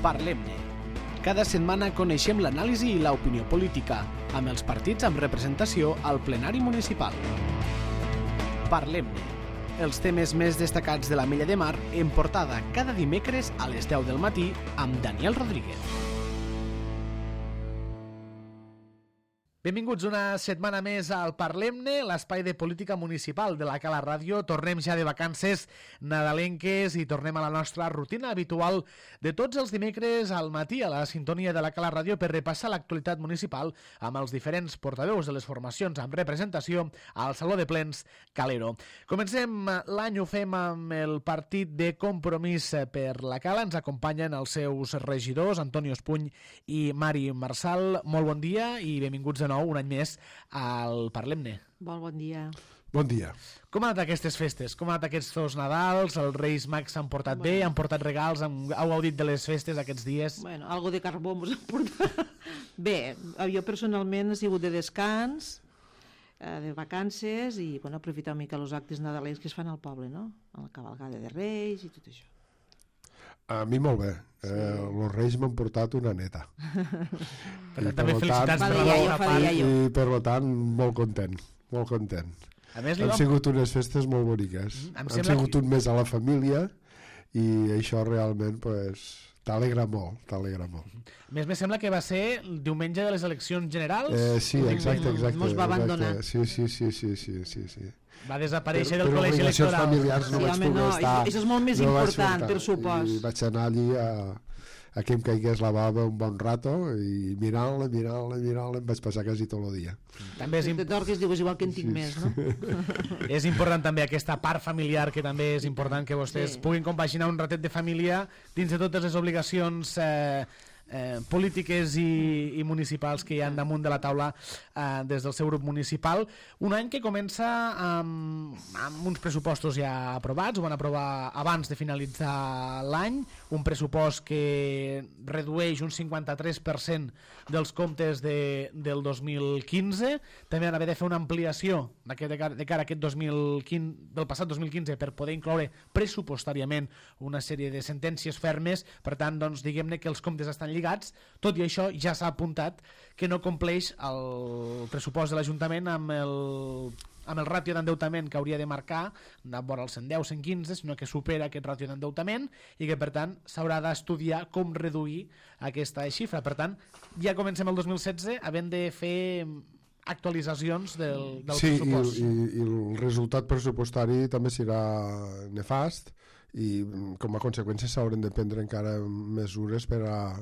Parlem-ne. Cada setmana coneixem l'anàlisi i l'opinió política, amb els partits amb representació al plenari municipal. Parlem-ne. Els temes més destacats de la Mella de Mar en portada cada dimecres a les 10 del matí amb Daniel Rodríguez. Benvinguts una setmana més al Parlem-ne, l'espai de política municipal de la Cala Ràdio. Tornem ja de vacances nadalenques i tornem a la nostra rutina habitual de tots els dimecres al matí a la sintonia de la Cala Ràdio per repassar l'actualitat municipal amb els diferents portaveus de les formacions amb representació al Saló de Plens Calero. Comencem l'any, ho fem amb el partit de Compromís per la Cala. Ens acompanyen els seus regidors, Antonio Espuny i Mari Marsal. Molt bon dia i benvinguts de nou un any més al Parlem-ne. Bon dia. Bon dia. Com han anat aquestes festes? Com han anat aquests Nadals? Els Reis Mags s'han portat bé? Han portat regals? Heu gaudit de les festes aquests dies? Bueno, algo de carbó mos han portat. Bé, jo personalment he sigut de descans, de vacances i bueno, aprofitar una mica els actes nadalencs que es fan al poble, no? A la cavalgada de Reis i tot això. A mi molt bé. Els Reis m'han portat una neta. També felicitats per la vostra part. I per tant, molt content. Molt content. Han sigut unes festes molt boniques. Han sigut un mes a la família i això realment t'alegra molt. A més, me sembla que va ser el diumenge de les eleccions generals. Sí, exacte. Mos va abandonar. Sí. Va desaparèixer del col·legi electoral. Per familiars no vaig poder estar. Això és molt més important, per supòs. I vaig anar allí a que em caigués la bava un bon rato i mirant-la, em vaig passar quasi tot el dia. També te torques, dius igual que en tinc més, no? És important també aquesta part familiar, que també és important que vostès puguin compaginar un ratet de família dins de totes les obligacions polítiques i municipals que hi ha damunt de la taula des del seu grup municipal. Un any que comença amb uns pressupostos ja aprovats, ho van aprovar abans de finalitzar l'any, un pressupost que redueix un 53% dels comptes del 2015, també van haver de fer una ampliació de cara a aquest 2015, del passat 2015 per poder incloure pressupostàriament una sèrie de sentències fermes, per tant, doncs, diguem-ne que els comptes estan lligats. Tot i això ja s'ha apuntat que no compleix el pressupost de l'Ajuntament amb el ràtio d'endeutament que hauria de marcar de vora els 110-115, sinó que supera aquest ràtio d'endeutament i que per tant s'haurà d'estudiar com reduir aquesta xifra. Per tant, ja comencem el 2016 havent de fer actualitzacions del pressupost. Sí, i el resultat pressupostari també serà nefast i com a conseqüència s'hauran de prendre encara mesures per a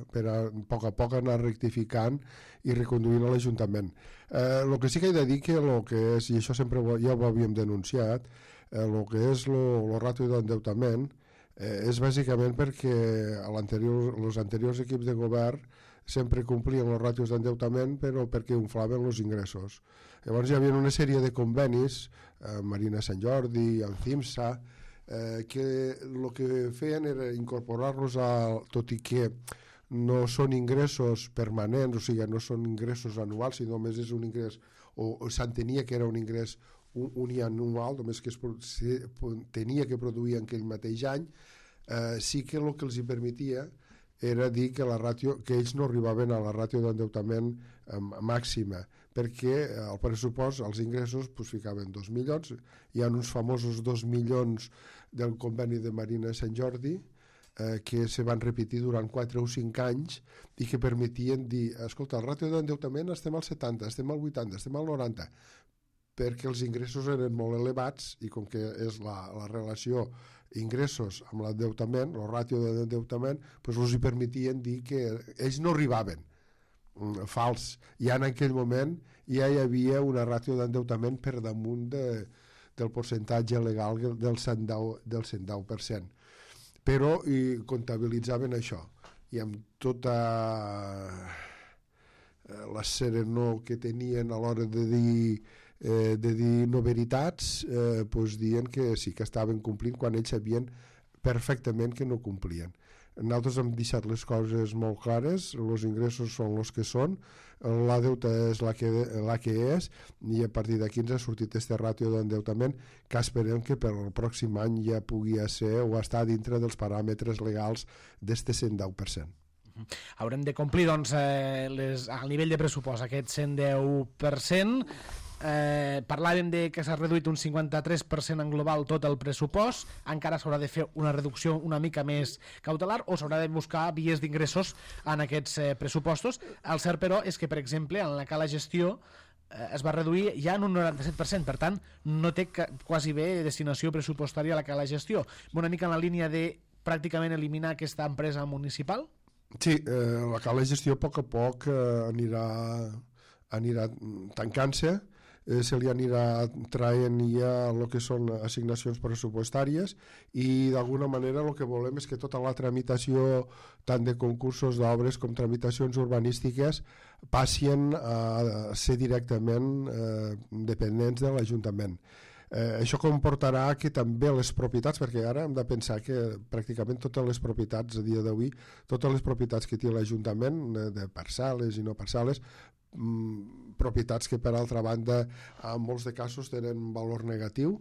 poc a poc anar rectificant i reconduint a l'Ajuntament. El que sí que he de dir que el que és, i això sempre ja ho havíem denunciat, el que és el ràtio d'endeutament és bàsicament perquè els anteriors equips de govern sempre complien els ràtios d'endeutament però perquè inflaven els ingressos. Llavors hi havia una sèrie de convenis amb Marina Sant Jordi, amb CIMSA, que el que feien era incorporar-los tot i que no són ingressos permanents, o sigui, no són ingressos anuals, sinó només és un ingrés, o s'entenia que era un ingrés unianual, només que tenia que produir en aquell mateix any, sí que el que els hi permetia era dir que que ells no arribaven a la ràtio d'endeutament màxima, perquè al pressupost els ingressos ficaven 2 milions, hi ha uns famosos 2 milions del conveni de Marina Sant Jordi que se van repetir durant 4 o 5 anys i que permetien dir, escolta, el ràtio d'endeutament estem al 70, estem al 80, estem al 90, perquè els ingressos eren molt elevats i com que és la relació ingressos amb l'endeutament, el ràtio d'endeutament, els hi permetien dir que ells no arribaven. Fals. I en aquell moment ja hi havia una ràtio d'endeutament per damunt del percentatge legal del 110%. Però comptabilitzaven això. I amb tota la serenor que tenien a l'hora de dir no veritats, dient que sí que estaven complint quan ells sabien perfectament que no complien. Nosaltres hem deixat les coses molt clares, els ingressos són els que són, la deuta és la que és, i a partir d'aquí ens ha sortit este ràtio d'endeutament que esperem que per al pròxim any ja pugui ser o estar dintre dels paràmetres legals d'este 110%. Haurem de complir doncs, al nivell de pressupost aquest 110%. Parlàvem de que s'ha reduït un 53% en global tot el pressupost. Encara s'haurà de fer una reducció una mica més cautelar o s'haurà de buscar vies d'ingressos en aquests pressupostos. El cert, però, és que, per exemple, en la cala gestió es va reduir ja en un 97%, per tant no té quasi bé destinació pressupostària a la cala gestió. Una mica en la línia de pràcticament eliminar aquesta empresa municipal? Sí, la cala gestió a poc anirà tancant-se, se li anirà traient ja el que són assignacions pressupostàries i d'alguna manera el que volem és que tota la tramitació tant de concursos d'obres com tramitacions urbanístiques passin a ser directament dependents de l'Ajuntament. Això comportarà que també les propietats, perquè ara hem de pensar que pràcticament totes les propietats a dia d'avui, totes les propietats que té l'Ajuntament, de parcel·les i no parcel·les, propietats que per altra banda en molts de casos tenen valor negatiu,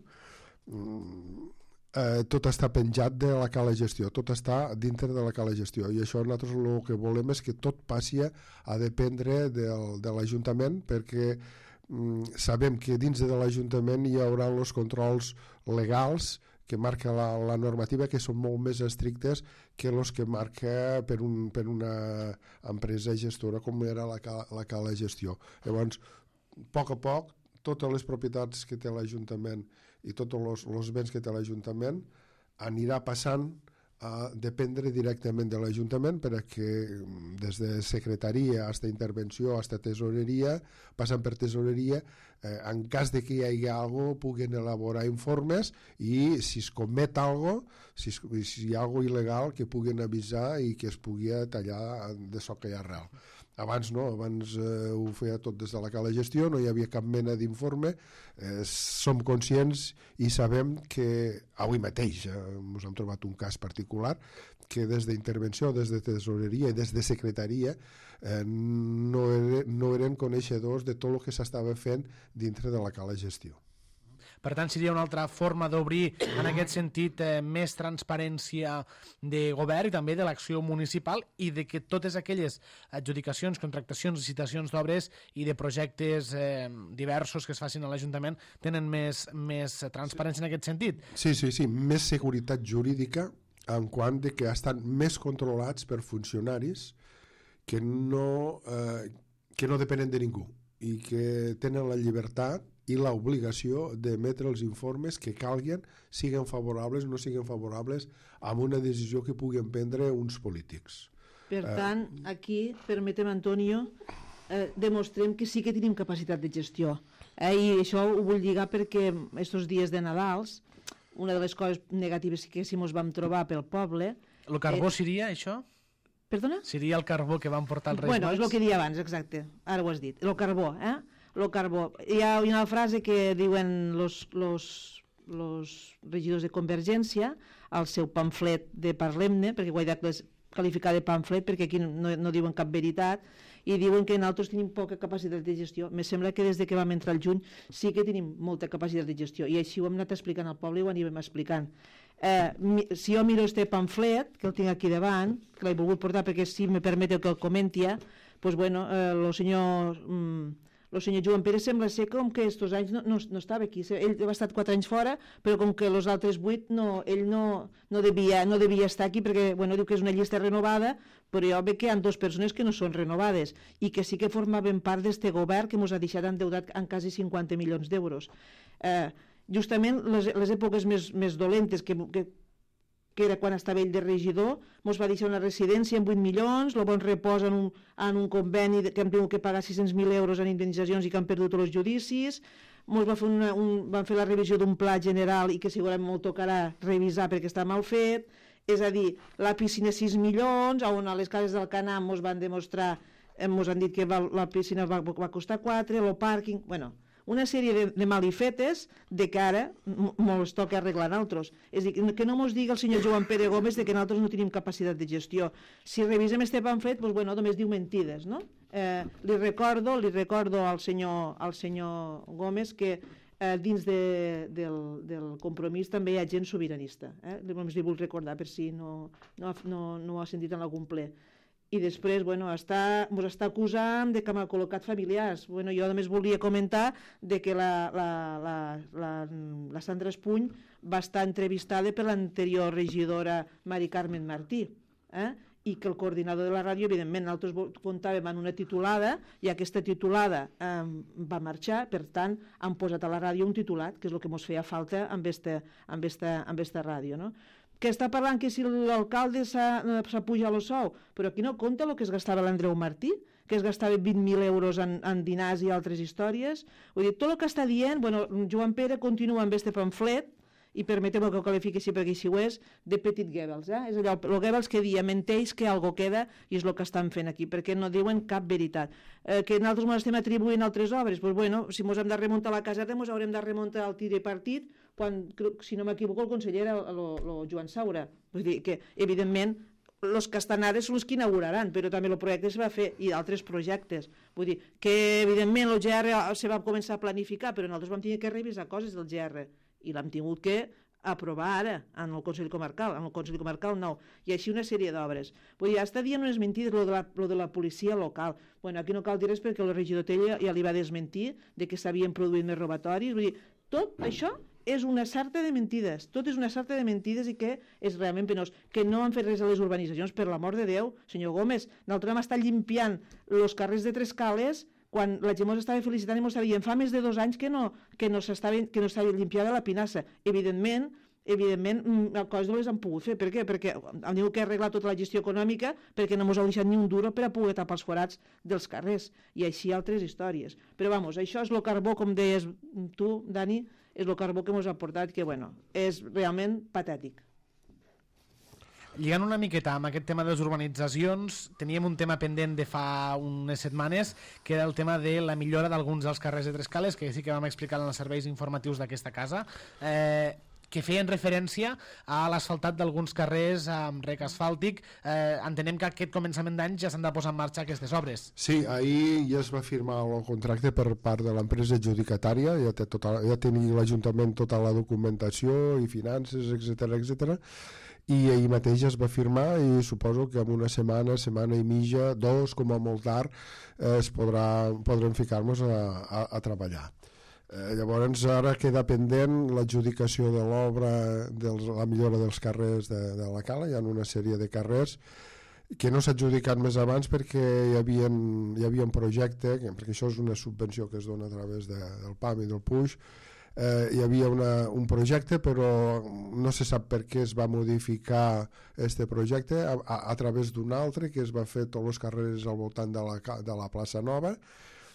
tot està penjat de la cala gestió, tot està dintre de la cala gestió i això nosaltres el que volem és que tot passi a dependre de l'Ajuntament perquè sabem que dins de l'Ajuntament hi haurà els controls legals que marca la normativa que són molt més estrictes que els que marca per una empresa gestora com era la cala gestió. Llavors, a poc, totes les propietats que té l'Ajuntament i tots els béns que té l'Ajuntament anirà passant a dependre directament de l'Ajuntament perquè des de secretaria fins a intervenció, fins a tesoreria, passant per tesoreria, en cas de que hi hagi alguna cosa puguen elaborar informes i si es comet alguna cosa, si hi ha alguna cosa il·legal que puguen avisar i que es pugui tallar de soca i arrel. Abans no, abans ho feia tot des de la cala gestió, no hi havia cap mena d'informe, som conscients i sabem que avui mateix ens hem trobat un cas particular que des d'intervenció, des de tesoreria i des de secretaria no eren coneixedors de tot el que s'estava fent dintre de la cala gestió. Per tant, seria una altra forma d'obrir, en aquest sentit, més transparència de govern i també de l'acció municipal i de que totes aquelles adjudicacions, contractacions, licitacions d'obres i de projectes diversos que es facin a l'Ajuntament tenen més transparència en aquest sentit. Sí, més seguretat jurídica en quant de que estan més controlats per funcionaris que no depenen de ningú i que tenen la llibertat i l'obligació d'emetre els informes que calguin, siguin favorables o no siguin favorables amb una decisió que puguin prendre uns polítics. Per tant, aquí, permetem, Antonio, demostrem que sí que tenim capacitat de gestió. I això ho vull lligar perquè aquests dies de Nadals, una de les coses negatives que sí ens vam trobar pel poble... El carbó seria això? Perdona? Seria el carbó que van portar els Reis Mags? Bueno, és el que deia abans, exacte. Ara ho has dit. El carbó, el carbó. Hi ha una frase que diuen los regidors de Convergència al seu pamflet de Parlem-ne, perquè ho he de qualificar de pamflet perquè aquí no diuen cap veritat, i diuen que nosaltres tenim poca capacitat de gestió. Me sembla que des de que vam entrar al juny sí que tenim molta capacitat de gestió, i així ho hem anat explicant al poble i ho anirem explicant. Si jo miro este pamflet, que el tinc aquí davant, que l'he volgut portar perquè si me permeteu que el comenti, doncs bueno, el senyor Joan Pere sembla ser com que estos anys no estava aquí. Ell va estar 4 anys fora, però com que els altres 8 ell no devia estar aquí perquè diu que és una llista renovada, però jo veig que hi ha 2 persones que no són renovades i que sí que formaven part d'este govern que ens ha deixat endeutat en quasi 50 milions d'euros. Justament les èpoques més dolentes que era quan estava ell de regidor, ens va deixar una residència amb 8 milions, el bon repòs en un conveni que hem tingut que pagar 600.000 euros en indemnitzacions i que han perdut els judicis, van fer la revisió d'un pla general i que segurament m'ho tocarà revisar perquè està mal fet, és a dir, la piscina 6 milions, on a les cases del Canam ens van demostrar, ens han dit que la piscina va costar 4, el pàrquing, una sèrie de malifetes de que ara ens toca arreglar nosaltres. És a dir, que no ens digui el senyor Joan Pere Gómez de que nosaltres no tenim capacitat de gestió. Si revisem este pamflet, només diu mentides, no? Li recordo al senyor Gómez que dins del compromís també hi ha gent sobiranista. Només li vull recordar per si no ho ha sentit en algun ple. i després ens està acusant de que m'ha col·locat familiars. Jo només volia comentar de que la Sandra Espuny va estar entrevistada per l'anterior regidora Mari Carmen Martí, i que el coordinador de la ràdio, evidentment, nosaltres comptàvem en una titulada i aquesta titulada va marxar, per tant, han posat a la ràdio un titulat, que és el que ens feia falta amb esta ràdio, no? Que està parlant que si l'alcalde s'ha pujat el sou, però aquí no compta el que es gastava l'Andreu Martí, que es gastava 20.000 euros en dinars i altres històries. Vull dir, tot el que està dient, Joan Pere continua amb este pamflet, i permeteu que ho qualifiqui així perquè així ho és, de Petit Goebbels. És allò, el Goebbels que dia menteix que algo queda i és el que estan fent aquí, perquè no diuen cap veritat. Que nosaltres ens estem atribuint altres obres, doncs si ens hem de remuntar a la caserna, ens haurem de remuntar al tir de partit, quan, si no m'equivoco, el conseller era el Joan Saura. Vull dir que, evidentment, els que estan ara són els que inauguraran, però també el projecte es va fer, i altres projectes. Vull dir que, evidentment, el GR se va començar a planificar, però nosaltres vam tenir que revisar coses del GR, i l'hem tingut que aprovar ara en el Consell Comarcal, nou, i així una sèrie d'obres. Vull dir, està dient unes mentides, lo de la policia local. Aquí no cal dir res perquè el regidor Tella ja li va desmentir de que s'havien produït més robatoris. Vull dir, tot això és una sarta de mentides, tot és una sarta de mentides i que és realment penós. Que no han fet res a les urbanitzacions, per l'amor de Déu, senyor Gómez. Nosaltres hem estat limpiant els carrers de Tres Cales quan la gent ens estava felicitant i ens estava dient fa més de 2 anys que no s'estava limpiada la pinassa. Evidentment, coses no les han pogut fer. Per què? Perquè han tingut que arreglar tota la gestió econòmica perquè no ens heu deixat ni un duro per a poder tapar els forats dels carrers. I així altres històries. Però això és el carbó, com deies tu, Dani, és el carbó que ens ha portat, que és realment patètic. Lligant una miqueta amb aquest tema de les urbanitzacions, teníem un tema pendent de fa unes setmanes, que era el tema de la millora d'alguns dels carrers de Tres Cales, que sí que vam explicar en els serveis informatius d'aquesta casa, que feien referència a l'asfaltat d'alguns carrers amb rec asfàltic. Entenem que aquest començament d'any ja s'han de posar en marxa aquestes obres. Sí, ahir ja es va firmar el contracte per part de l'empresa adjudicatària, ja tenia l'Ajuntament tota la documentació i finances, etc. I ahir mateix es va firmar i suposo que en una setmana i mitja, 2, com a molt tard, podrem ficar-nos a treballar. Llavors ara queda pendent l'adjudicació de l'obra de la millora dels carrers de la Cala. Hi ha una sèrie de carrers que no s'ha adjudicat més abans perquè hi havia un projecte, perquè això és una subvenció que es dona a través del PAM i del PUX. Hi havia un projecte, però no se sap per què es va modificar este projecte a través d'un altre que es va fer tots els carrers al voltant de la plaça Nova.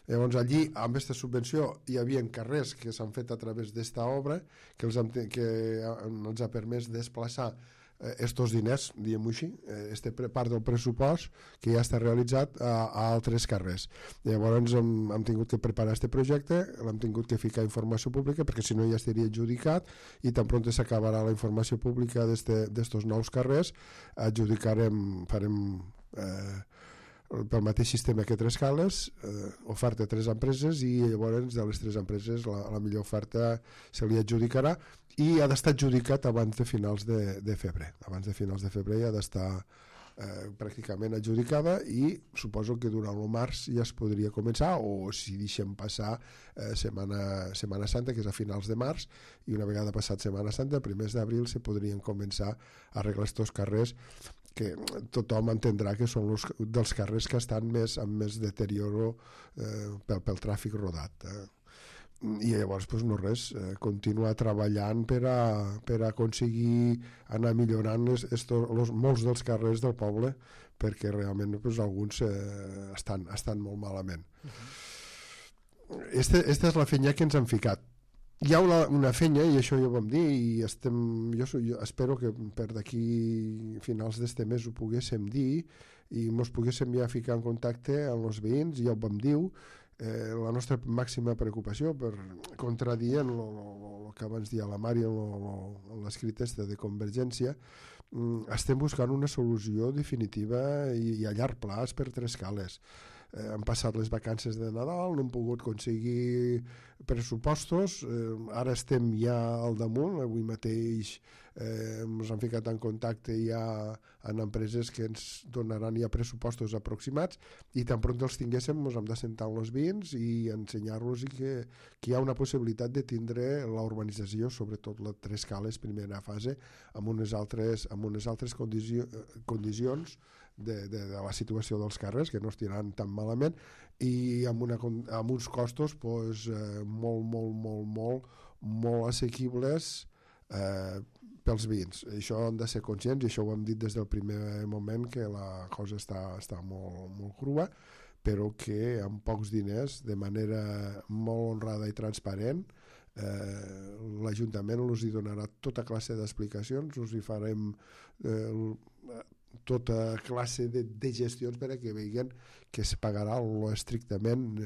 Llavors allí, amb aquesta subvenció, hi havia carrers que s'han fet a través d'esta obra que ens ha permès desplaçar estos diners, diguem-ho així, part del pressupost que ja està realitzat a altres carrers. Llavors hem tingut que preparar aquest projecte, l'hem tingut que ficar a informació pública perquè si no ja estaria adjudicat i tan pront s'acabarà la informació pública d'estos nous carrers, farem pel mateix sistema que Tres Cales, oferta a 3 empreses i llavors de les 3 empreses la millor oferta se li adjudicarà i ha d'estar adjudicat abans de finals de febrer. Abans de finals de febrer ha d'estar pràcticament adjudicada i suposo que durant el març ja es podria començar, o si deixem passar Setmana Santa, que és a finals de març, i una vegada passat Setmana Santa, a primers d'abril se podrien començar a arreglar aquests carrers que tothom entendrà que són dels carrers que estan amb més deterioro pel tràfic rodat. I llavors no res, continuar treballant per a aconseguir anar millorant molts dels carrers del poble, perquè realment alguns estan molt malament. Esta és la feina que ens han ficat. Hi ha una feina, i això ja ho vam dir, i jo espero que per d'aquí finals d'este mes ho poguéssim dir i ens poguéssim ja ficar en contacte amb els veïns, ja ho vam dir, la nostra màxima preocupació per contradir el que abans dia la Mari en l'escrit de Convergència. Estem buscant una solució definitiva i a llarg plaç per Tres Cales. Han passat les vacances de Nadal, no hem pogut aconseguir pressupostos, ara estem ja al damunt, avui mateix ens han ficat en contacte ja en empreses que ens donaran ja pressupostos aproximats i tan pront els tinguéssim ens hem de sentar amb els veïns i ensenyar-los que hi ha una possibilitat de tindre la urbanització, sobretot les 3 cales primera fase, amb unes altres condicions de la situació dels carrers, que no estiran tan malament, i amb uns costos molt assequibles pels veïns. Això han de ser conscients, i això ho hem dit des del primer moment, que la cosa està molt crua, però que amb pocs diners, de manera molt honrada i transparent, l'Ajuntament els hi donarà tota classe d'explicacions, us hi farem tota classe de gestions per a que vegin que es pagarà lo estrictament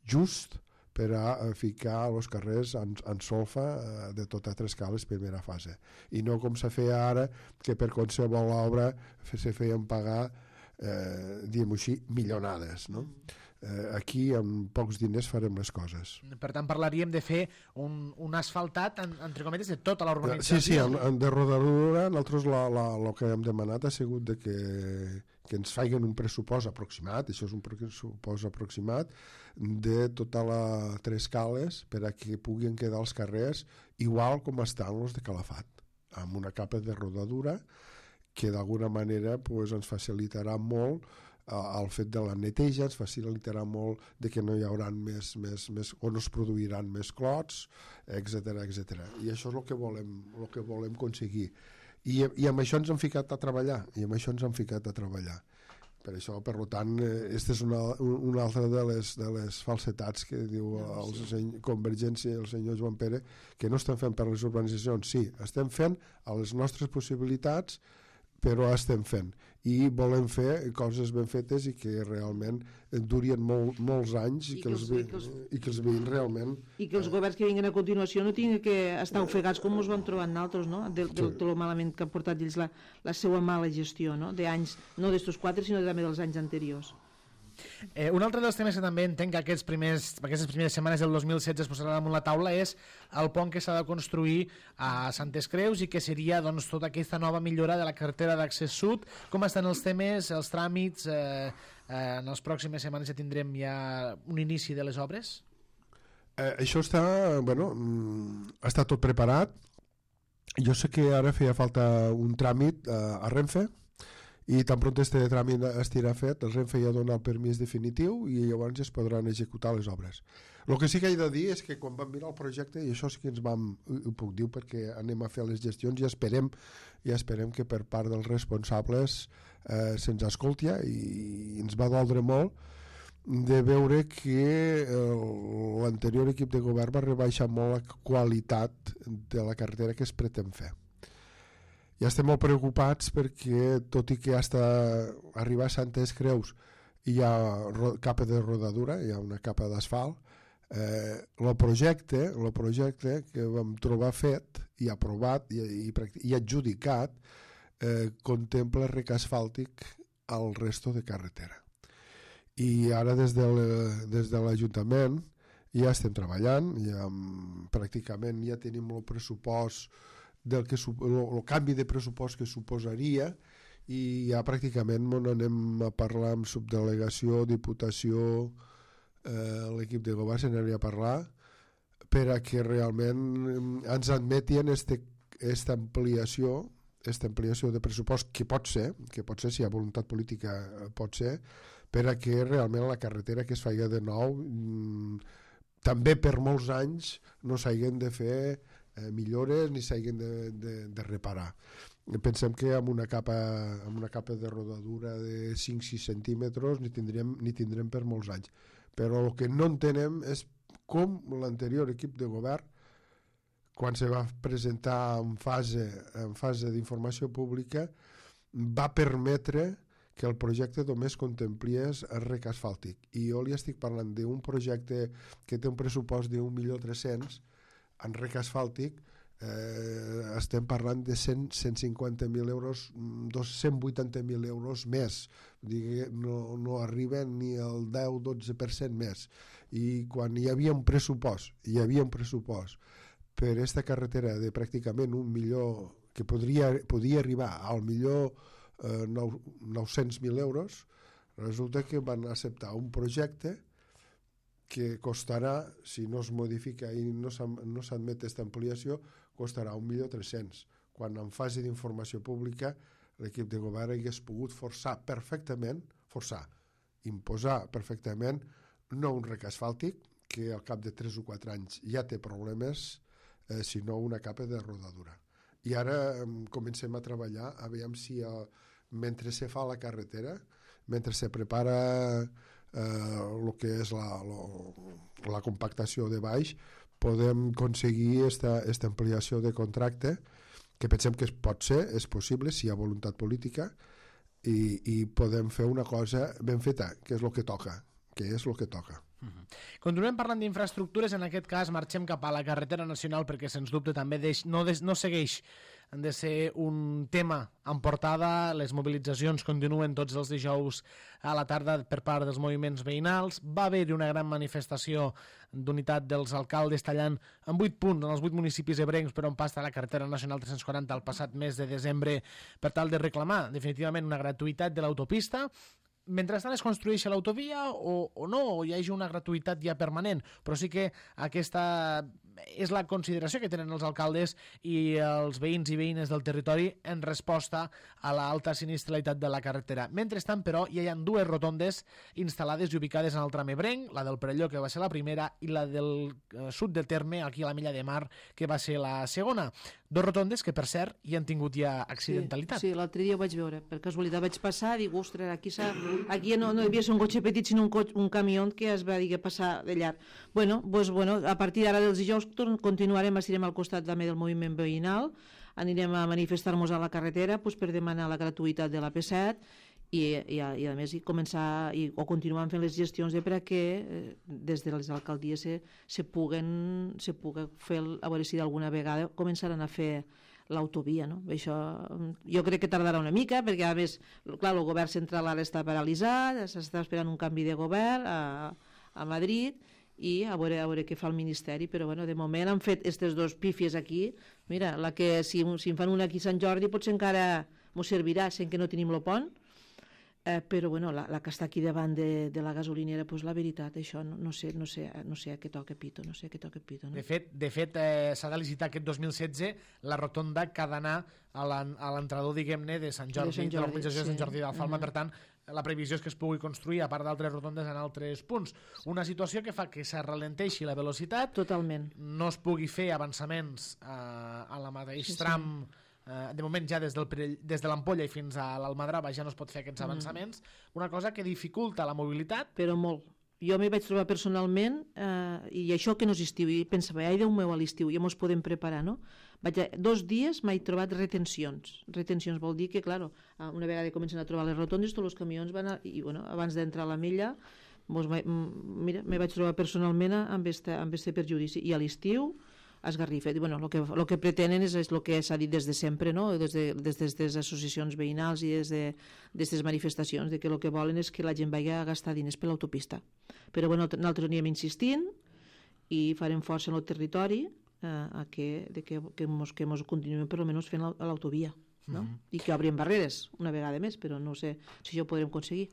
just per a ficar els carrers en solfa de totes 3 cales primera fase. I no com se feia ara, que per qualsevol obra se feien pagar, diguem-ho així, milionades, no? Aquí amb pocs diners farem les coses. Per tant, parlaríem de fer un asfaltat, entre cometes, de tota la urbanització. Sí, de rodadura, nosaltres el que hem demanat ha sigut de que ens facin un pressupost aproximat, això és un pressupost aproximat, de tota les 3 cales per a que puguin quedar els carrers igual com estan els de Calafat, amb una capa de rodadura que d'alguna manera ens facilitarà molt el fet de la neteja, ens facilitarà molt de que no hi haurà més o no es produiran més clots, etc. I això és el que volem aconseguir. I amb això ens hem ficat a treballar, Per això, per tant, aquesta és una altra de les falsetats que diu Convergència i el senyor Joan Pere, que no estem fent per les urbanitzacions. Sí, estem fent a les nostres possibilitats, però estem fent. I volem fer coses ben fetes i que realment durien molts anys i que els veïns realment... I que els governs que vinguin a continuació no tinguin que estar ofegats com ens vam trobar nosaltres, no? De lo malament que han portat ells la seva mala gestió, no? D'anys, no d'estos 4, sinó també dels anys anteriors. Un altre dels temes que també entenc que aquestes primeres setmanes del 2016 es posarà damunt la taula és el pont que s'ha de construir a Santes Creus i que seria tota aquesta nova millora de la carretera d'accés sud. Com estan els temes, els tràmits? En les pròximes setmanes ja tindrem ja un inici de les obres? Això està tot preparat. Jo sé que ara feia falta un tràmit a Renfe, i tan pront este tràmit estirà fet, el Renfe ja dona el permís definitiu i llavors es podran executar les obres. El que sí que he de dir és que quan vam mirar el projecte, i això sí que ho puc dir perquè anem a fer les gestions i esperem que per part dels responsables se'ns escolti, i ens va doldre molt de veure que l'anterior equip de govern va rebaixar molt la qualitat de la carretera que es pretén fer. Ja estem molt preocupats perquè, tot i que hasta arribar a Santes Creus hi ha capa de rodadura, hi ha una capa d'asfalt, el projecte que vam trobar fet i aprovat i adjudicat contempla rec asfàltic al resto de carretera. I ara des de l'Ajuntament ja estem treballant, pràcticament ja tenim el pressupost el canvi de pressupost que suposaria, i ja pràcticament anem a parlar amb subdelegació, diputació, l'equip de govern s'aniria a parlar per a que realment ens admetien aquesta ampliació de pressupost, que pot ser, si hi ha voluntat política pot ser, per a que realment la carretera que es faci de nou també per molts anys no s'hagin de fer millores ni s'hagin de reparar. Pensem que amb una capa de rodadura de 5-6 centímetres ni tindrem per molts anys. Però el que no entenem és com l'anterior equip de govern, quan se va presentar en fase d'informació pública, va permetre que el projecte només contemplies el rec asfàltic. I jo li estic parlant d'un projecte que té un pressupost de 1.300.000 en rec asfàltic, estem parlant de 150.000 euros, 180.000 euros més. No arriben ni al 10-12% més. I quan hi havia un pressupost per aquesta carretera de pràcticament $1 milió, que podia arribar al millor 900.000 euros, resulta que van acceptar un projecte que costarà, si no es modifica i no s'admet aquesta ampliació, costarà 1.300.000, quan en fase d'informació pública l'equip de govern hagués pogut imposar perfectament no un rec asfàltic, que al cap de 3 o 4 anys ja té problemes, sinó una capa de rodadura. I ara comencem a treballar, a veure si mentre se fa la carretera, mentre se prepara el que és la compactació de baix, podem aconseguir aquesta ampliació de contracte, que pensem que pot ser, és possible, si hi ha voluntat política, i podem fer una cosa ben feta, que és el que toca. Continuem parlant d'infraestructures, en aquest cas marxem cap a la carretera nacional, perquè sens dubte també no segueix de ser un tema en portada. Les mobilitzacions continuen tots els dijous a la tarda per part dels moviments veïnals. Va haver-hi una gran manifestació d'unitat dels alcaldes tallant en 8 punts en els 8 municipis ebrencs per on passa la carretera nacional 340 el passat mes de desembre, per tal de reclamar definitivament una gratuïtat de l'autopista. Mentrestant es construeix l'autovia o no, o hi hagi una gratuïtat ja permanent, però sí que aquesta és la consideració que tenen els alcaldes i els veïns i veïnes del territori en resposta a l'alta sinistralitat de la carretera. Mentrestant, però, hi ha 2 rotondes instal·lades i ubicades en el tram ebrenc, la del Perelló, que va ser la primera, i la del sud del terme, aquí a la Milla de Mar, que va ser la segona. 2 rotondes que, per cert, hi han tingut ja accidentalitat. Sí, l'altre dia ho vaig veure. Per casualitat vaig passar, dic, ostres, aquí no hi havia un cotxe petit, sinó un camió que es va passar de llarg. Bueno, a partir d'ara dels dijous continuarem, estirem al costat també del moviment veïnal, anirem a manifestar-nos a la carretera per demanar la gratuïtat de l'AP7 i a més continuem fent les gestions perquè des de les alcaldies se puguen fer, a veure si d'alguna vegada començaran a fer l'autovia, no? Això jo crec que tardarà una mica, perquè a més, clar, el govern central ara està paralitzat, s'està esperant un canvi de govern a Madrid, i a veure què fa el Ministeri, però bueno, de moment han fet aquestes 2 pífies aquí. Mira, la que si en fan una aquí a Sant Jordi potser encara m'ho servirà, sent que no tenim el pont, però bueno, la que està aquí davant de la gasolinera, doncs la veritat, això no sé a què toca pito, no? De fet, s'ha de licitar aquest 2016 la rotonda que ha d'anar a l'entrador, diguem-ne, de Sant Jordi, de l'organització de Sant Jordi d'Alfalma. Per tant, la previsió és que es pugui construir, a part d'altres rotondes, en altres punts. Una situació que fa que s'arralenteixi la velocitat, totalment, no es pugui fer avançaments a la mateix tram. De moment ja des de l'Ampolla i fins a l'Almadrava ja no es pot fer aquests avançaments, una cosa que dificulta la mobilitat. Però molt. Jo m'hi vaig trobar personalment i això que no és estiu, i pensava, ai Déu meu, a l'estiu ja mos podem preparar, no? 2 dies m'he trobat retencions. Retencions vol dir que, clar, una vegada comencen a trobar les rotondes, tots els camions van abans d'entrar a la milla, mira, m'hi vaig trobar personalment amb este perjudici. I a l'estiu esgarrifa. Bueno, el que pretenen és el que s'ha dit des de sempre, no? Des de les associacions veïnals i des d'aquestes manifestacions, que el que volen és que la gent vagi a gastar diners per l'autopista. Però bueno, nosaltres anirem insistint i farem força en el territori que mos continuem per almenys fent l'autovia, no? I que obrin barreres una vegada més, però no sé si això ho podrem aconseguir.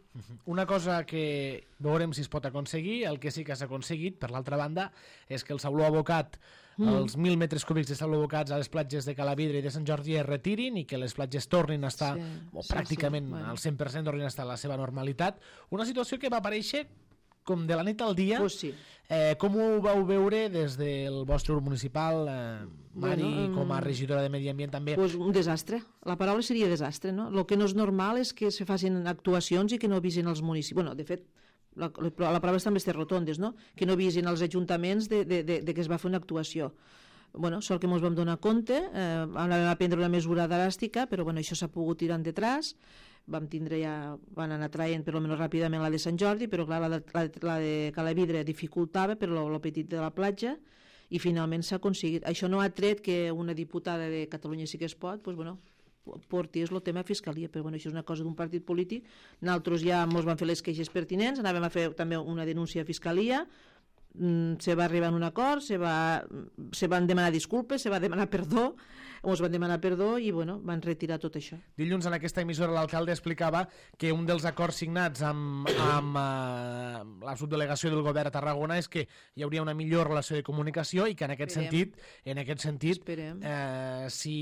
Una cosa que veurem si es pot aconseguir, el que sí que s'ha aconseguit, per l'altra banda, és que el sauló abocat, els 1.000 metres cúbics de sauló abocats a les platges de Calavidra i de Sant Jordi es retirin i que les platges tornin a estar, pràcticament al 100% tornin a estar a la seva normalitat. Una situació que va aparèixer com de la nit al dia. Com ho vau veure des del vostre grup municipal, Mari, com a regidora de Medi Ambient també? Un desastre, la paraula seria desastre, no? El que no és normal és que se facin actuacions i que no avisen els municipis. Bueno, de fet, la prova està amb aquestes rotondes, no? Que no avisen els ajuntaments de que es va fer una actuació. Bueno, sort que ens vam donar compte, vam anar a prendre una mesura dràstica, però bueno, això s'ha pogut tirar endetrás. Van anar traient per almenys ràpidament la de Sant Jordi, però clar, la de Calavidra dificultava per lo petit de la platja, i finalment s'ha aconseguit. Això no ha tret que una diputada de Catalunya Sí que es pot, doncs, bueno, portés el tema a Fiscalia, però bueno, això és una cosa d'un partit polític. Nosaltres ja ens van fer les queixes pertinents, anàvem a fer també una denúncia a Fiscalia, se va arribar a un acord, se van demanar disculpes, se va demanar perdó, ens van demanar perdó i bueno, van retirar tot això. Dilluns en aquesta emissora l'alcalde explicava que un dels acords signats amb la subdelegació del govern a Tarragona és que hi hauria una millor relació de comunicació i que en aquest sentit si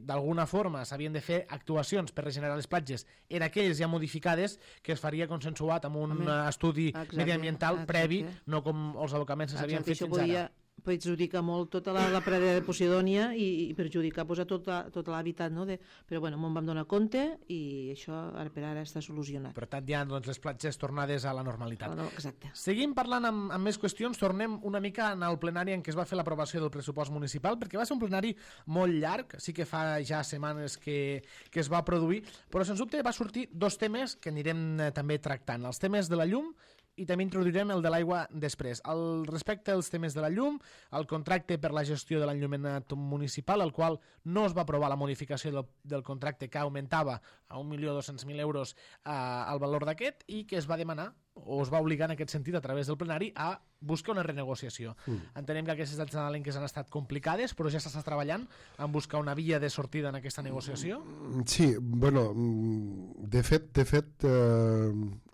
d'alguna forma s'havien de fer actuacions per regenerar les platges en aquelles ja modificades, que es faria consensuat amb un estudi mediambiental previ, no com els abocaments que s'havien fet fins ara. Perjudica molt tota la pradera de Posidònia i perjudicar a tot l'hàbitat, no? Però bueno, me'n vam donar compte i això ara per ara està solucionat. Per tant, hi ha les platges tornades a la normalitat. Exacte. Seguim parlant amb més qüestions, tornem una mica al plenari en què es va fer l'aprovació del pressupost municipal, perquè va ser un plenari molt llarg, sí que fa ja setmanes que es va produir, però sens dubte va sortir dos temes que anirem també tractant, els temes de la llum i també introduirem el de l'aigua després. Respecte als temes de la llum, el contracte per la gestió de l'enllumenat municipal, el qual no es va aprovar la modificació del contracte, que augmentava a 1.200.000 euros el valor d'aquest, i que es va demanar o es va obligar en aquest sentit a través del plenari a buscar una renegociació. Entenem que aquestes dates nadalenques han estat complicades, però ja s'està treballant en buscar una via de sortida en aquesta negociació? Sí, bueno, de fet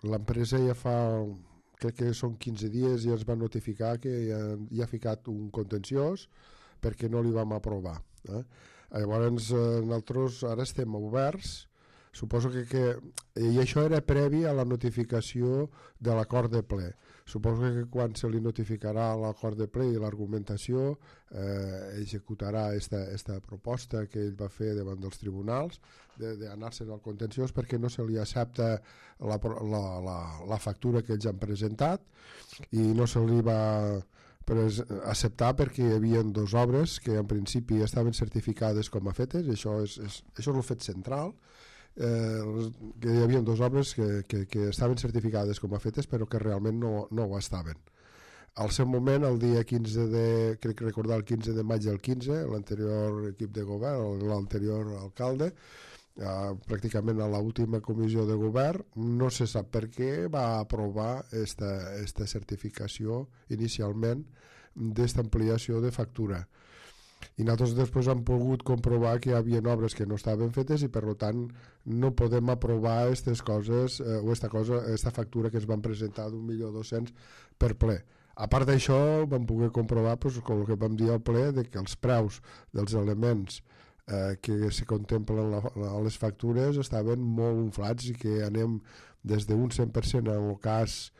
l'empresa ja fa, crec que són 15 dies, ja es va notificar que ja ha ficat un contenciós perquè no li vam aprovar. Llavors nosaltres ara estem oberts. Suposo que i això era previ a la notificació de l'acord de ple. Suposo que quan se li notificarà l'acord de ple i l'argumentació executarà esta proposta que ell va fer davant dels tribunals d'anar-se'n al contenciós perquè no se li accepta la factura que ells han presentat i no se li va acceptar perquè hi havia dues obres que en principi estaven certificades com a fetes, això és el fet central, que hi havia dues obres que estaven certificades com a fetes però que realment no ho estaven. Al seu moment, el dia 15 crec recordar el 15 de maig del 15, l'anterior equip de govern, l'anterior alcalde, pràcticament a l'última comissió de govern, no se sap per què va aprovar esta certificació inicialment d'esta ampliació de factura. I nosaltres després hem pogut comprovar que hi havia obres que no estaven fetes i per tant no podem aprovar aquestes coses o esta factura que es van presentar d'1.200.000 per ple. A part d'això vam poder comprovar com que vam dir al ple que els preus dels elements que se contemplen a les factures estaven molt inflats i que anem des d'un 100% en el cas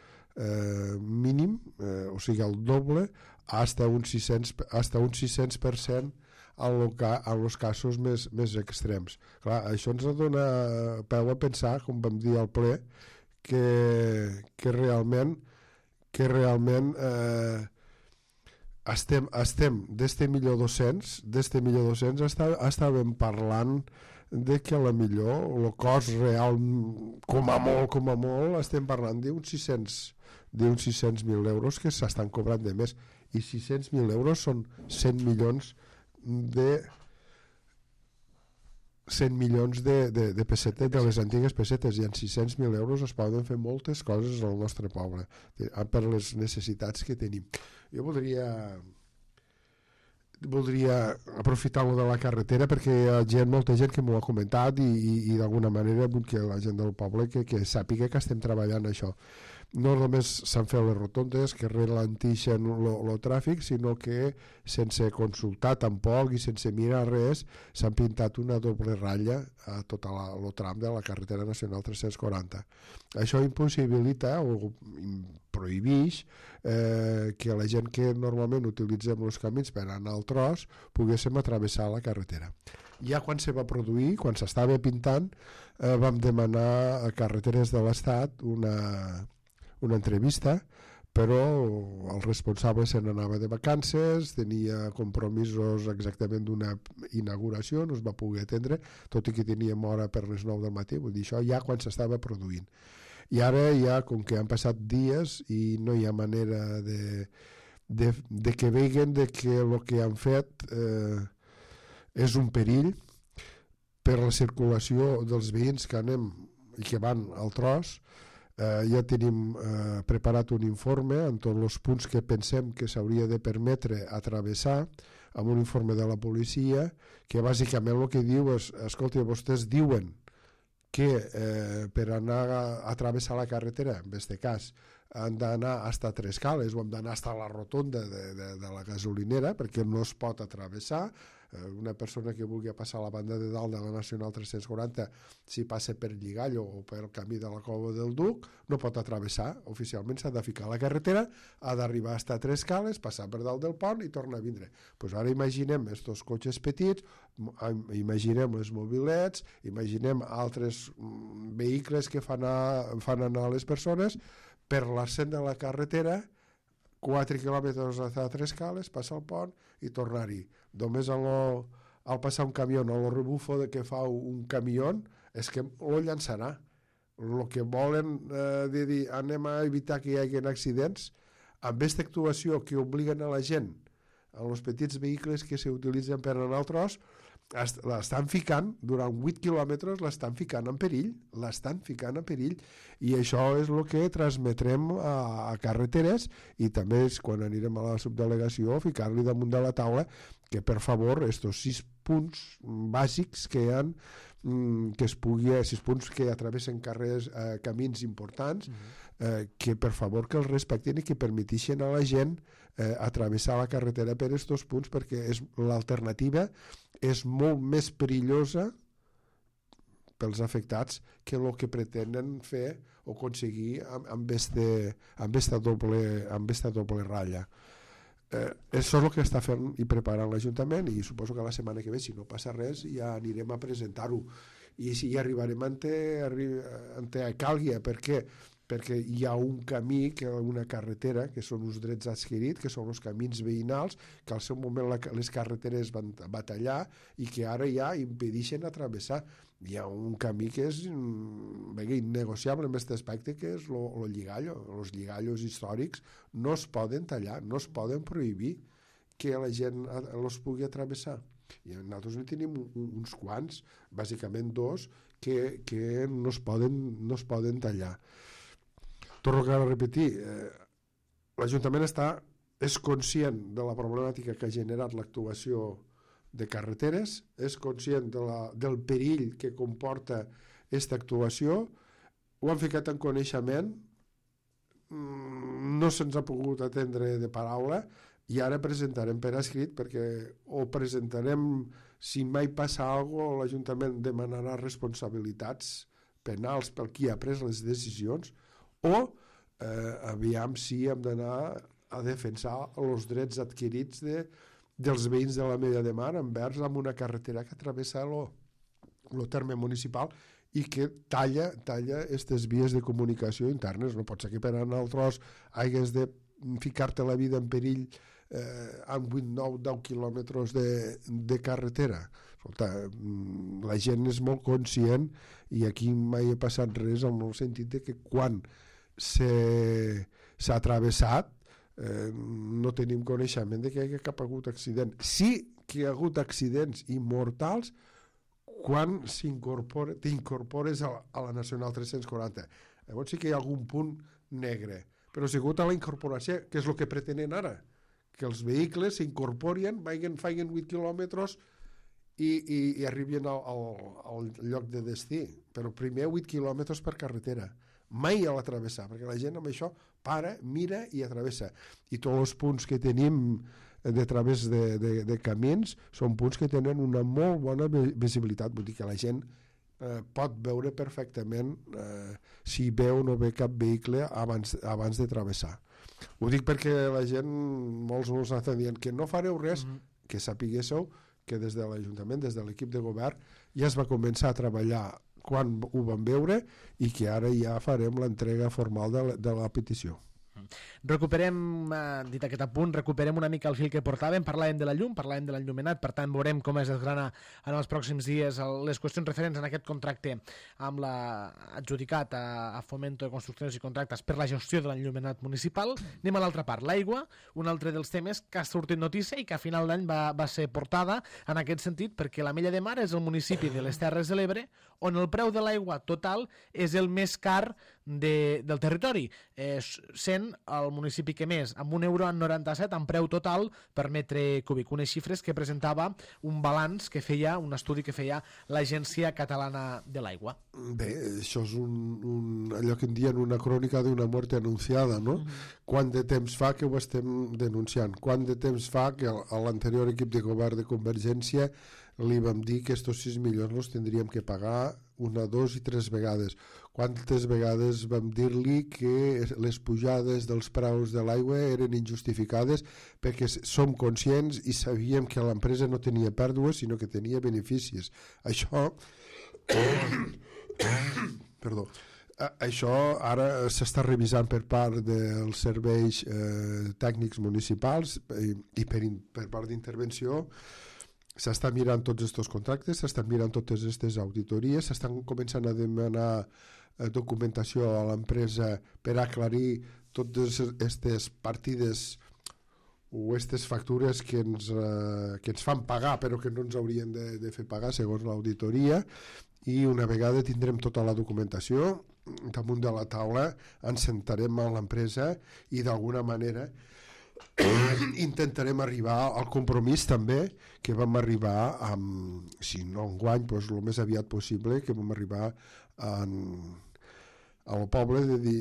mínim, o sigui el doble, hasta un 600% en els casos més extrems. Clar, això ens dona peu a pensar, com vam dir al ple, que realment estem d'este 1.200.000 estàvem parlant de que a la millor el cost real com a molt estem parlant d'uns 600.000 euros que s'estan cobrant de més, i 600.000 euros són 100 milions de pessetes, de les antigues pessetes, i en 600.000 euros es poden fer moltes coses al nostre poble per les necessitats que tenim. Jo voldria aprofitar de la carretera perquè hi ha molta gent que m'ho ha comentat i d'alguna manera vull que la gent del poble que sàpiga que estem treballant això. No només s'han fet les rotondes que ralentixen el tràfic, sinó que sense consultar tampoc i sense mirar res s'han pintat una doble ratlla a tot el tram de la carretera nacional 340. Això impossibilita o prohibeix que la gent que normalment utilitzem els camins per anar al tros poguéssim atravessar la carretera. Ja quan se va produir, quan s'estava pintant, vam demanar a Carreteres de l'Estat una entrevista, però el responsable se n'anava de vacances, tenia compromisos exactament d'una inauguració, no es va poder atendre, tot i que teníem hora per les 9 del matí, vull dir, això ja quan s'estava produint. I ara ja, com que han passat dies i no hi ha manera de que veguen de que el que han fet és un perill per la circulació dels veïns que anem i que van al tros. Ja tenim preparat un informe amb tots els punts que pensem que s'hauria de permetre atravessar, amb un informe de la policia que bàsicament el que diu és, escolta, vostès diuen que per anar a travessar la carretera, en aquest cas, han d'anar hasta Tres Cales o hem d'anar hasta la rotonda de la gasolinera perquè no es pot atravessar. Una persona que vulgui passar a la banda de dalt de la Nacional 340, si passa per Lligallo o per el camí de la Cova del Duc, no pot atravessar. Oficialment s'ha de ficar a la carretera, ha d'arribar fins a Tres Cales, passar per dalt del pont i tornar a vindre. Pues ara imaginem estos cotxes petits, imaginem les mobilets, imaginem altres vehicles que fan anar les persones per l'arcent de la carretera, 4 quilòmetres a Tres Cales, passar el pont i tornar-hi. Només al passar un camió, el rebufo que fa un camió és que lo llançarà. El que volen de dir anem a evitar que hi hagi accidents, amb aquesta actuació que obliguen a la gent, a els petits vehicles que s'utilitzen per anar al tros, l'estan ficant, durant 8 quilòmetres l'estan ficant en perill, i això és el que transmetrem a carreteres, i també és quan anirem a la subdelegació ficar-li damunt de la taula que per favor estos 6 punts bàsics que hi ha, que es pugui, 6 punts que atravessen carrers, camins importants, que per favor que els respectin i que permetixen a la gent atravessar la carretera per estos punts, perquè l'alternativa és molt més perillosa pels afectats que el que pretenen fer o aconseguir amb esta doble ratlla. Això és el que està fent i preparant l'Ajuntament, i suposo que la setmana que ve, si no passa res, ja anirem a presentar-ho i si hi arribarem ante calgui. Per què? Perquè hi ha un camí, una carretera, que són uns drets adquirits, que són els camins veïnals, que al seu moment les carreteres van tallar i que ara ja impedeixen atravessar. Hi ha un camí que és innegociable en aquest aspecte, que és el lligallo. Els lligallos històrics no es poden tallar, no es poden prohibir que la gent els pugui atravessar. I nosaltres en tenim uns quants, bàsicament 2, que no es poden tallar. Torno a repetir, l'Ajuntament és conscient de la problemàtica que ha generat l'actuació de carreteres, és conscient del perill que comporta aquesta actuació, ho han ficat en coneixement, no se'ns ha pogut atendre de paraula, i ara presentarem per escrit, perquè o presentarem, si mai passa alguna cosa, l'Ajuntament demanarà responsabilitats penals per qui ha pres les decisions, o aviam si hem d'anar a defensar els drets adquirits dels veïns de la Mella de Mar envers amb una carretera que travessa el terme municipal i que talla aquestes vies de comunicació internes. No pot ser que per anar al tros hagués de ficar-te la vida en perill amb 8, 9, 10 quilòmetres de carretera. Escolta, la gent és molt conscient, i aquí mai ha passat res, en el sentit de que quan s'ha travessat no tenim coneixement de que hi ha hagut accident. Sí que hi ha hagut accidents immortals quan t'incorpores a la Nacional 340. Llavors sí que hi ha algun punt negre, però ha sigut a la incorporació, que és el que pretenen ara, que els vehicles s'incorporen, facin 8 quilòmetres i arribin al lloc de destí, però primer 8 quilòmetres per carretera, mai a l'atravessar, perquè la gent amb això para, mira i atravessa. I tots els punts que tenim de través de camins són punts que tenen una molt bona visibilitat, vull dir que la gent pot veure perfectament si veu o no ve cap vehicle abans de travessar. Ho dic perquè la gent, molts ens estan dient que no fareu res, que sapiguéssiu que des de l'Ajuntament, des de l'equip de govern, ja es va començar a treballar quan ho vam veure, i que ara ja farem l'entrega formal de la petició. Recuperem, dit aquest apunt, recuperem una mica el fil que portàvem, parlàvem de la llum, parlàvem de l'enllumenat, per tant veurem com es desgrana en els pròxims dies les qüestions referents en aquest contracte amb adjudicat a Fomento de Construccions i Contractes per la gestió de l'enllumenat municipal. Anem a l'altra part, l'aigua, un altre dels temes que ha sortit notícia i que a final d'any va ser portada en aquest sentit, perquè l'Ametlla de Mar és el municipi de les Terres de l'Ebre on el preu de l'aigua total és el més car del territori, sent el municipi que més, amb €1,97 en preu total per metre cúbic, unes xifres que presentava un balanç que feia, un estudi que feia l'Agència Catalana de l'Aigua. Bé, això és allò que en dien una crònica d'una mort anunciada, no? Quant de temps fa que ho estem denunciant? Quant de temps fa que a l'anterior equip de govern de Convergència li vam dir que estos 6 milions els tindríem que pagar una, dos i tres vegades? Quantes vegades vam dir-li que les pujades dels preus de l'aigua eren injustificades perquè som conscients i sabíem que l'empresa no tenia pèrdues sinó que tenia beneficis. Això perdó, això ara s'està revisant per part dels serveis tècnics municipals i per part d'intervenció. S'estan mirant tots aquests contractes, s'estan mirant totes aquestes auditories, s'estan començant a demanar documentació a l'empresa per aclarir totes aquestes partides o aquestes factures que ens fan pagar però que no ens haurien de fer pagar segons l'auditoria, i una vegada tindrem tota la documentació damunt de la taula ens sentarem amb l'empresa i d'alguna manera intentarem arribar al compromís també que vam arribar amb, si no enguany, doncs el més aviat possible, que vam arribar al poble de dir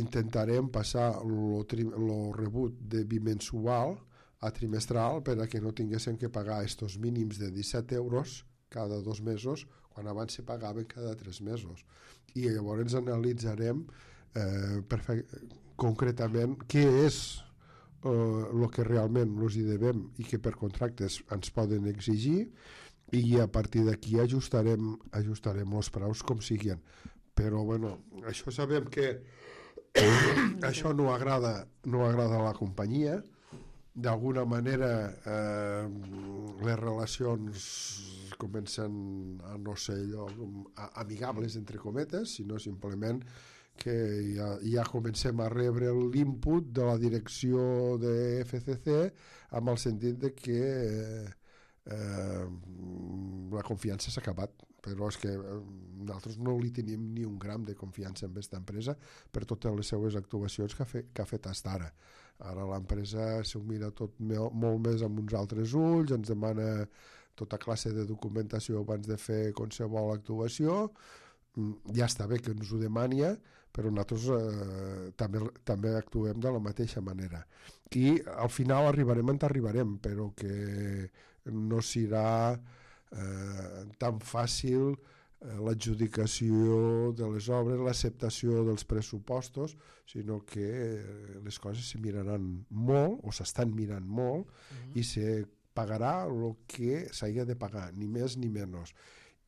intentarem passar el rebut de bimensual a trimestral per a que no tinguéssim que pagar estos mínims de 17 euros cada 2 mesos quan abans se pagaven cada 3 mesos, i llavors analitzarem concretament què és el que realment els hi devem i que per contractes ens poden exigir, i a partir d'aquí ajustarem els preus com siguin. Però bueno, això sabem que això no agrada a la companyia. D'alguna manera les relacions comencen a no ser allò amigables entre cometes, sinó simplement que ja comencem a rebre l'input de la direcció de FCC amb el sentit de que la confiança s'ha acabat, però és que nosaltres no li tenim ni un gram de confiança en aquesta empresa per totes les seues actuacions que ha fet fins ara. Ara l'empresa s'ho mira tot molt més amb uns altres ulls, ens demana tota classe de documentació abans de fer qualsevol actuació. Ja està bé que ens ho demani, però nosaltres també actuem de la mateixa manera. I al final arribarem on arribarem, però que no serà tan fàcil l'adjudicació de les obres, l'acceptació dels pressupostos, sinó que les coses se miraran molt, o s'estan mirant molt, i se pagarà el que s'hagi de pagar, ni més ni menys.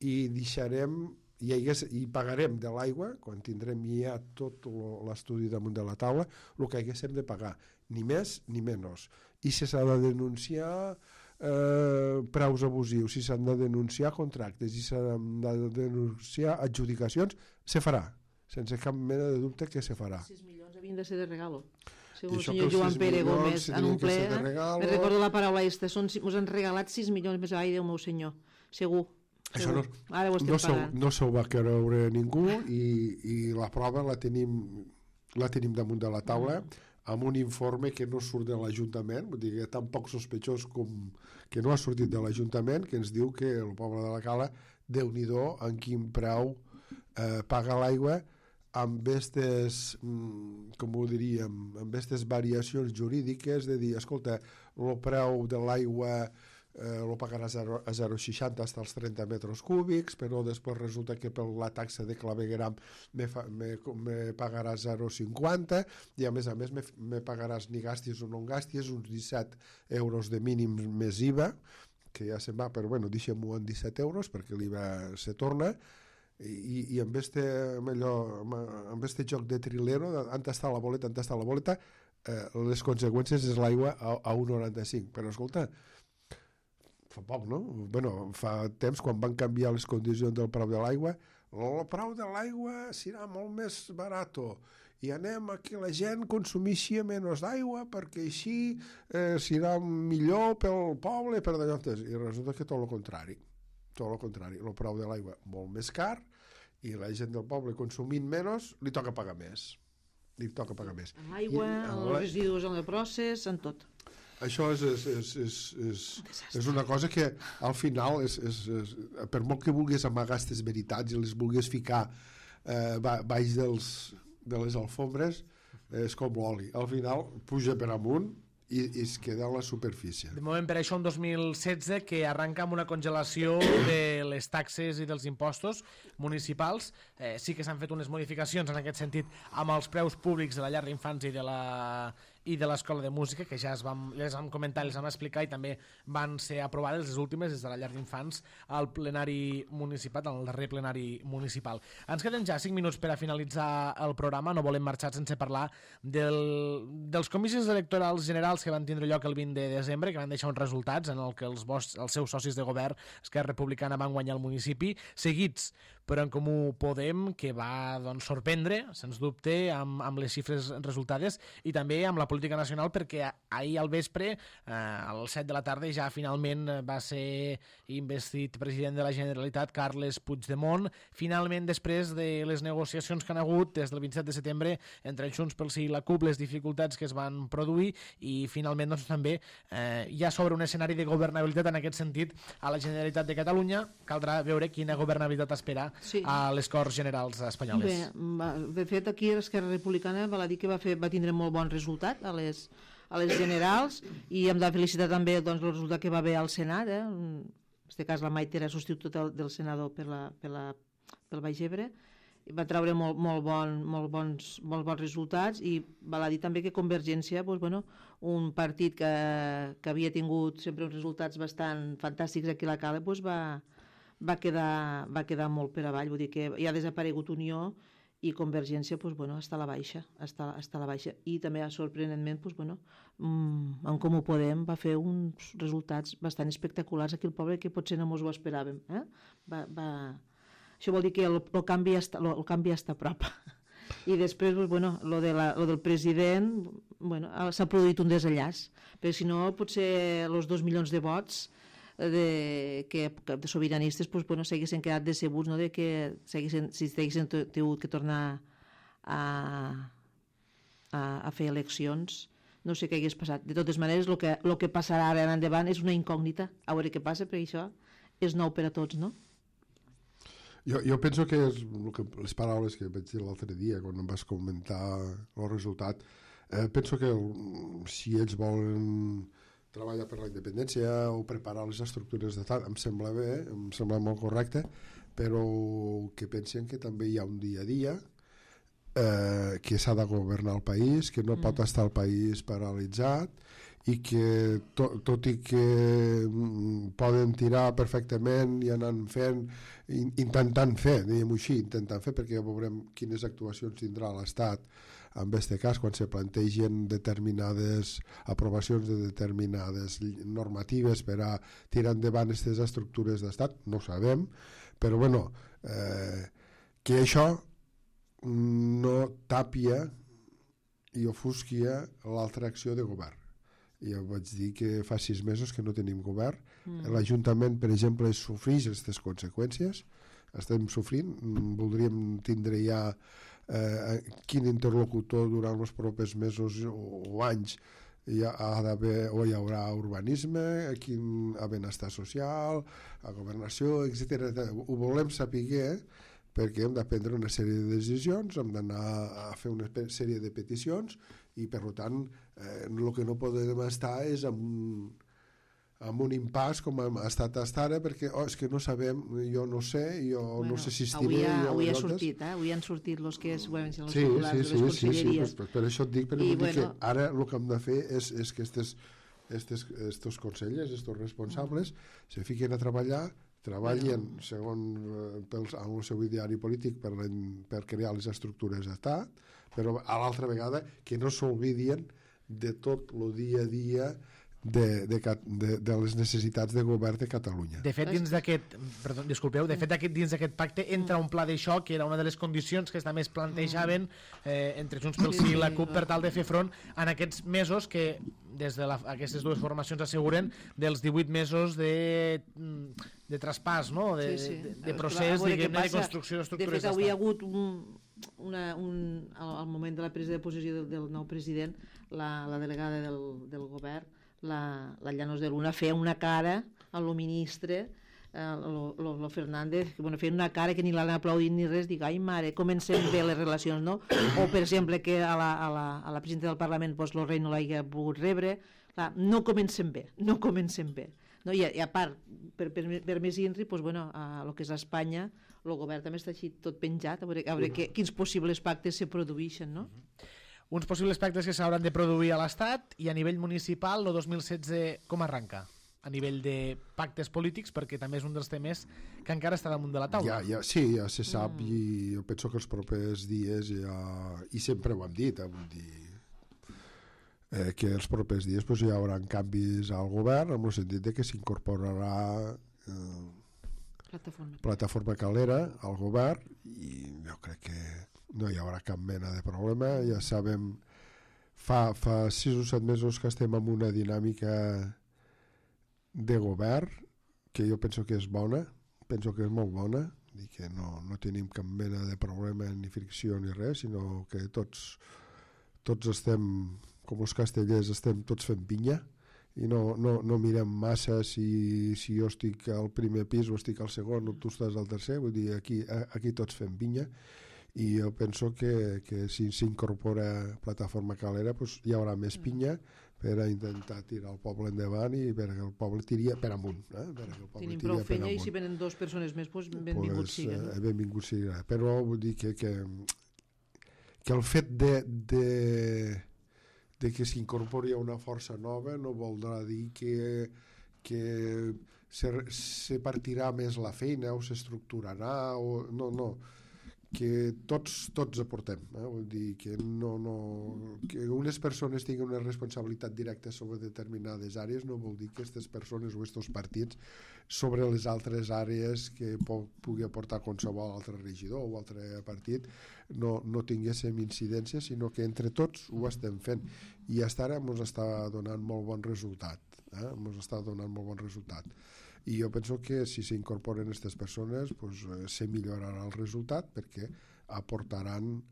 I deixarem i pagarem de l'aigua, quan tindrem ja tot l'estudi damunt de la taula, el que haguéssim de pagar, ni més ni menys. I si s'ha de denunciar preus abusius, si s'han de denunciar contractes, si s'han de denunciar adjudicacions, se farà, sense cap mena de dubte que se farà. 6 milions havien de ser de regalo. Segons el senyor Joan Pere Gómez en un ple, me recordo la paraula aquesta, ens han regalat 6 milions més, ai Déu meu senyor, segur. Això no s'ho va creure ningú, i la prova la tenim damunt de la taula amb un informe que no surt de l'Ajuntament, vull dir que tan poc sospitós com que no ha sortit de l'Ajuntament, que ens diu que el poble de la Cala, Déu-n'hi-do en quin preu paga l'aigua amb aquestes, com ho diríem, amb aquestes variacions jurídiques de dir, escolta, el preu de l'aigua lo pagaràs a 0,60 fins als 30 metres cúbics, però després resulta que per la taxa de clavegueram me pagaràs 0,50 i a més me pagaràs ni gastis o no gastis uns 17 euros de mínim més IVA, que ja se'n va, però bueno, deixem-ho en 17 euros perquè l'IVA se torna, i amb este joc de trilero, on està la boleta, les conseqüències és l'aigua a 1,95. Però escolta, fa poc, no? Bueno, fa temps, quan van canviar les condicions del preu de l'aigua, el preu de l'aigua serà molt més barat i anem a que la gent consumeixi menys d'aigua perquè així serà millor pel poble, per d'allò. I resulta que tot el contrari. El preu de l'aigua molt més car i la gent del poble consumint menys li toca pagar més. L'aigua, els residus en el procés, en tot. Això és una cosa que al final per molt que vulguis amagar aquestes veritats i les vulguis ficar baix de les alfombres, és com l'oli, al final puja per amunt i es queda a la superfície. De moment, per això, en 2016, que arranca amb una congelació de les taxes i dels impostos municipals. Sí que s'han fet unes modificacions en aquest sentit amb els preus públics de la llar d'infants i de l'escola de música, que ja les vam comentar, les vam explicar, i també van ser aprovades les últimes des de la llar d'infants al plenari municipal, al darrer plenari municipal. Ens queden ja 5 minuts per a finalitzar el programa. No volem marxar sense parlar dels comicis electorals generals que van tindre lloc el 20 de desembre, que van deixar uns resultats en el que els seus socis de govern, Esquerra Republicana, van guanyar el municipi, seguits per En Comú Podem, que va sorprendre, sens dubte, amb les xifres resultades, i també amb la política nacional, perquè ahir al vespre, a les 7 de la tarda, ja finalment va ser investit president de la Generalitat Carles Puigdemont. Finalment, després de les negociacions que han hagut des del 27 de setembre entre Junts pel Sí i la CUP, les dificultats que es van produir, i finalment també ja s'obre un escenari de governabilitat en aquest sentit a la Generalitat de Catalunya. Caldrà veure quina governabilitat espera a les Corts Generals espanyoles. Bé, de fet, aquí l'Esquerra Republicana val a dir que va tindre molt bon resultat a les generals, i hem de felicitar també el resultat que va haver al Senat. En aquest cas la Maite era substituta del senador pel Baix Ebre, i va treure molt bons resultats, i val a dir també que Convergència, un partit que havia tingut sempre uns resultats bastant fantàstics aquí a la Cala, va quedar molt per avall. Vull dir que ja ha desaparegut Unió i Convergència està a la baixa, i també sorprenentment En Comú Podem va fer uns resultats bastant espectaculars aquí al poble, que potser no ens ho esperàvem. Això vol dir que el canvi està a prop. I després lo del president, s'ha produït un desenllaç, perquè si no potser els 2 milions de vots de sobiranistes s'haguessin quedat decebuts, no? De que si haguessin tingut que tornar a fer eleccions, no sé què hagués passat. De totes maneres, el que passarà ara endavant és una incògnita, a veure què passa, perquè això és nou per a tots, no? Jo penso que les paraules que vaig dir l'altre dia quan em vas comentar el resultat, penso que si ells volen treballar per la independència o preparar les estructures d'estat, em sembla bé, em sembla molt correcte, però que pensen que també hi ha un dia a dia, que s'ha de governar el país, que no pot estar el país paralitzat, i que tot i que poden tirar perfectament i anar fent, intentant fer, diguem-ho així, perquè ja veurem quines actuacions tindrà l'Estat en aquest cas, quan se plantegen determinades aprovacions de determinades normatives per a tirar endavant aquestes estructures d'estat, no ho sabem, però que això no tàpia i ofusquia l'altra acció de govern. Ja vaig dir que fa 6 mesos que no tenim govern. L'Ajuntament, per exemple, sofreix aquestes conseqüències. Estem sofrint. Voldríem tindre ja quin interlocutor durant els propers mesos o anys hi haurà urbanisme, quin benestar social, a governació, etc. Ho volem saber, perquè hem de prendre una sèrie de decisions, hem d'anar a fer una sèrie de peticions, i per tant el que no podem estar és amb un impàs com hem estat ara, perquè és que no sabem, jo no sé, no sé si estiré. Avui han sortit els que segurament són els titulars de les conselleries. Sí, per això et dic, que ara el que hem de fer és que estos consellers, estos responsables, se fiquen a treballar, treballen segons el seu ideari polític per crear les estructures d'estat, però a l'altra vegada que no s'oblidien de tot el dia a dia de les necessitats de govern de Catalunya. De fet, dins d'aquest pacte entra un pla de xoc, que era una de les condicions que també es plantejaven entre Junts pel Sí i la CUP per tal de fer front en aquests mesos que des d'aquestes dues formacions asseguren dels 18 mesos de traspàs, no? de procés, diguem-ne, de construcció d'estructures d'estat. De fet, avui ha hagut al moment de la presa de possessió del nou president, la delegada del govern, la Llanos de Luna, feia una cara a lo ministre, lo Fernández, feia una cara que ni l'han aplaudit ni res, dic, ai mare, comencem bé les relacions, no? O per exemple que a la presidenta del Parlament lo rei no l'hagi pogut rebre. Clar, no comencem bé. No? I a part, per més INRI, a lo que és Espanya, el govern també està així tot penjat, a veure quins possibles pactes se produeixen, no? Uns possibles pactes que s'hauran de produir a l'Estat, i a nivell municipal el 2016 com arranca? A nivell de pactes polítics, perquè també és un dels temes que encara està damunt de la taula. Sí, ja se sap, i jo penso que els propers dies i sempre ho hem dit, que els propers dies hi haurà canvis al govern, en el sentit de que s'incorporarà Plataforma Calera al govern, i jo crec que no hi haurà cap mena de problema. Ja sabem, fa 6 o 7 mesos que estem en una dinàmica de govern que jo penso que és bona, penso que és molt bona, i que no tenim cap mena de problema ni fricció ni res, sinó que tots estem, com els castellers, estem tots fent pinya, i no mirem massa si jo estic al primer pis o estic al segon o tu estàs al tercer, vull dir, aquí tots fem pinya. I jo penso que si s'incorpora Plataforma Calera hi haurà més pinya per a intentar tirar el poble endavant i perquè el poble tiri per amunt. Tenim prou feina i si venen 2 persones més, benvinguts siguen. Benvinguts siguen. Però vull dir que el fet de que s'incorpori una força nova no voldrà dir que se partirà més la feina o s'estructurarà no, que tots aportem, vull dir que que unes persones tinguin una responsabilitat directa sobre determinades àrees no vol dir que aquestes persones o aquests partits sobre les altres àrees que pugui aportar qualsevol altre regidor o altre partit no tinguéssim incidència, sinó que entre tots ho estem fent, i fins ara ens està donant molt bon resultat, i jo penso que si s'incorporen aquestes persones se millorarà el resultat perquè aportaran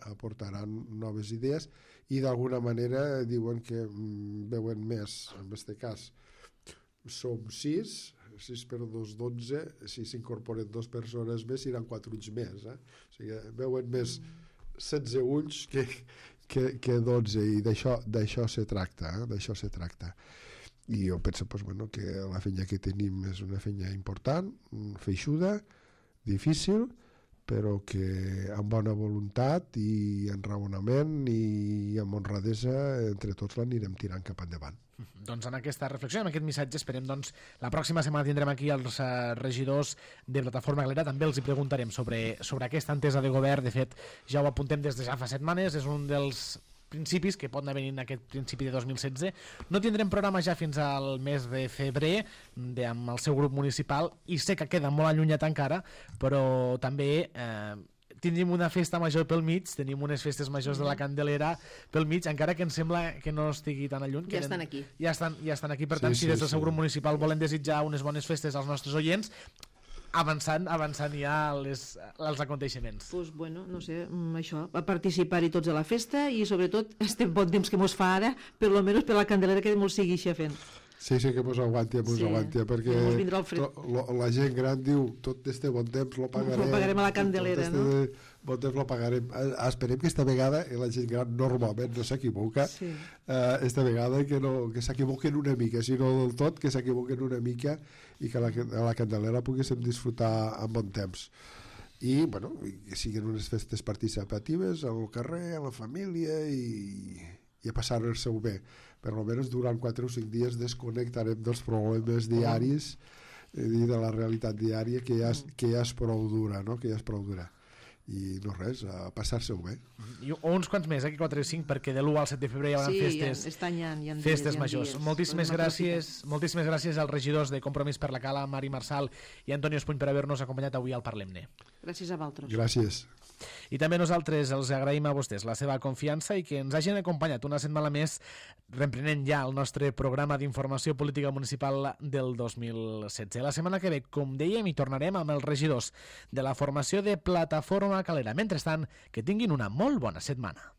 noves idees, i d'alguna manera diuen que veuen més, en aquest cas som 6 per 2, 12, si s'incorporen 2 persones més seran 4 ulls més, o sigui, veuen més 16 ulls que 12, i d'això se tracta, i jo penso que la feina que tenim és una feina important, feixuda, difícil, però que amb bona voluntat i enraonament i amb honradesa entre tots l'anirem tirant cap endavant. Doncs en aquesta reflexió, en aquest missatge, esperem la pròxima setmana tindrem aquí els regidors de Plataforma Calera, també els hi preguntarem sobre aquesta entesa de govern. De fet, ja ho apuntem des de ja fa setmanes, és un dels principis que pot anar venint aquest principi de 2016. No tindrem programa ja fins al mes de febrer amb el seu grup municipal, i sé que queda molt allunyat encara, però també tindrim una festa major pel mig, tenim unes festes majors de la Candelera pel mig, encara que em sembla que no estigui tan lluny. Ja estan aquí. Ja estan aquí, per tant, si des del seu grup municipal volen desitjar unes bones festes als nostres oients, avançant ja els aconteixements. No sé, això, a participar-hi tots a la festa, i sobretot este bon temps que mos fa ara, per lo menys per la Candelera, que mos sigui fent. Sí, que mos aguanti, perquè la gent gran diu tot este bon temps lo pagarem a la Candelera, no? Bon temps lo pagarem. Esperem que esta vegada la gent gran normalment no s'equivoca, esta vegada que s'equivoquen una mica, si no del tot, que s'equivoquen una mica, i que a la Candelera poguéssim disfrutar amb bon temps. I que siguin unes festes participatives al carrer, a la família, i a passar-se-ho bé. Per almenys durant 4 o 5 dies desconnectarem dels problemes diaris i de la realitat diària que ja és prou dura, no? Que ja és prou dura. I no res, a passar-se-ho bé. O uns quants més, aquí 4 i 5, perquè de l'1 al 7 de febrer hi haurà festes, festes majors. Moltíssimes gràcies als regidors de Compromís per la Cala, Mari Marsal i Antonio Espuny, per haver-nos acompanyat avui al Parlem-ne. Gràcies a vosaltres. Gràcies. I també nosaltres els agraïm a vostès la seva confiança i que ens hagin acompanyat una setmana més, reprenent ja el nostre programa d'informació política municipal del 2016. La setmana que ve, com dèiem, hi tornarem amb els regidors de la formació de Plataforma Calera. Mentrestant, que tinguin una molt bona setmana.